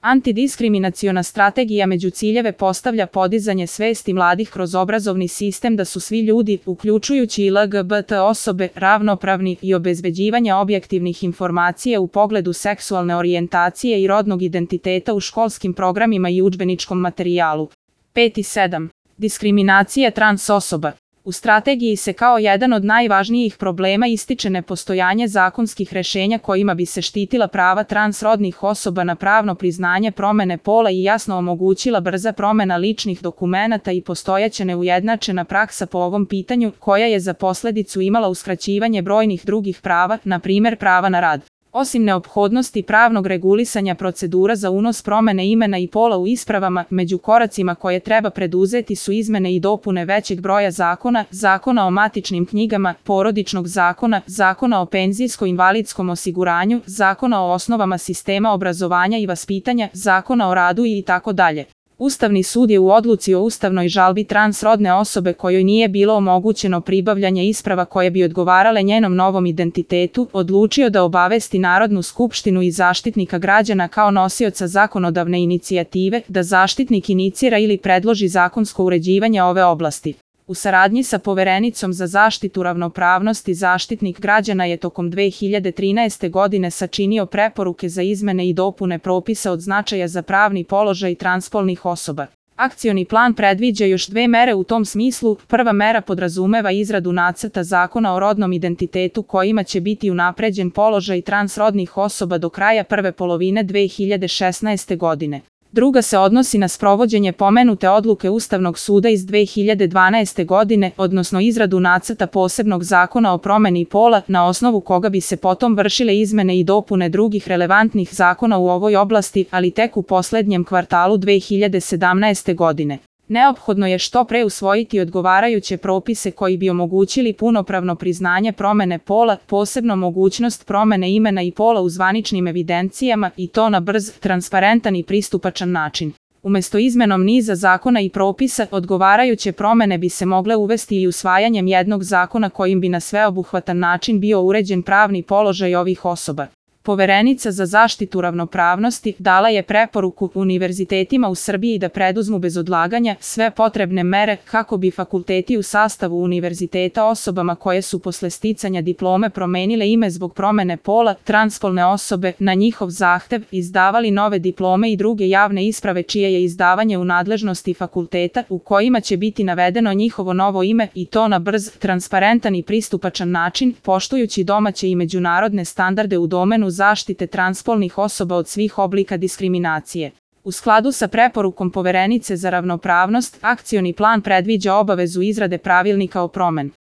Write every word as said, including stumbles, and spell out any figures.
Antidiskriminaciona strategija među ciljeve postavlja podizanje svesti mladih kroz obrazovni sistem da su svi ljudi, uključujući i L G B T osobe, ravnopravni i obezbeđivanje objektivnih informacija u pogledu seksualne orijentacije i rodnog identiteta u školskim programima i udžbeničkom materijalu. pet i sedam. Diskriminacija trans osoba. U strategiji se kao jedan od najvažnijih problema ističe nepostojanje zakonskih rešenja kojima bi se štitila prava transrodnih osoba na pravno priznanje promene pola i jasno omogućila brza promena ličnih dokumenata i postojeća neujednačena praksa po ovom pitanju, koja je za posledicu imala uskraćivanje brojnih drugih prava, na primer prava na rad. Osim neophodnosti pravnog regulisanja procedura za unos promene imena i pola u ispravama, među koracima koje treba preduzeti su izmene i dopune većeg broja zakona, Zakona o matičnim knjigama, Porodičnog zakona, Zakona o penzijsko-invalidskom osiguranju, Zakona o osnovama sistema obrazovanja i vaspitanja, Zakona o radu i tako dalje. Ustavni sud je u odluci o ustavnoj žalbi transrodne osobe kojoj nije bilo omogućeno pribavljanje isprava koje bi odgovarale njenom novom identitetu, odlučio da obavesti Narodnu skupštinu i Zaštitnika građana kao nosioca zakonodavne inicijative, da Zaštitnik inicira ili predloži zakonsko uređivanje ove oblasti. U saradnji sa Poverenicom za zaštitu ravnopravnosti Zaštitnik građana je tokom dve hiljade trinaeste. godine sačinio preporuke za izmene i dopune propisa od značaja za pravni položaj transpolnih osoba. Akcioni plan predviđa još dve mere u tom smislu. Prva mera podrazumeva izradu nacrta zakona o rodnom identitetu kojima će biti unapređen položaj transrodnih osoba do kraja prve polovine dve hiljade šesnaeste. godine. Druga se odnosi na sprovođenje pomenute odluke Ustavnog suda iz dve hiljade dvanaeste. godine, odnosno izradu nacrta posebnog zakona o promeni pola, na osnovu koga bi se potom vršile izmene i dopune drugih relevantnih zakona u ovoj oblasti, ali tek u poslednjem kvartalu dve hiljade sedamnaeste. godine. Neophodno je što pre usvojiti odgovarajuće propise koji bi omogućili punopravno priznanje promene pola, posebno mogućnost promene imena i pola u zvaničnim evidencijama, i to na brz, transparentan i pristupačan način. Umesto izmenom niza zakona i propisa, odgovarajuće promene bi se mogle uvesti i usvajanjem jednog zakona kojim bi na sveobuhvatan način bio uređen pravni položaj ovih osoba. Poverenica za zaštitu ravnopravnosti dala je preporuku univerzitetima u Srbiji da preduzmu bez odlaganja sve potrebne mere kako bi fakulteti u sastavu univerziteta osobama koje su posle sticanja diplome promenile ime zbog promene pola, transpolne osobe, na njihov zahtev, izdavali nove diplome i druge javne isprave čije je izdavanje u nadležnosti fakulteta, u kojima će biti navedeno njihovo novo ime, i to na brz, transparentan i pristupačan način, poštujući domaće i međunarodne standarde u domenu zaštite transpolnih osoba od svih oblika diskriminacije. U skladu sa preporukom Poverenice za ravnopravnost, akcioni plan predviđa obavezu izrade pravilnika o promeni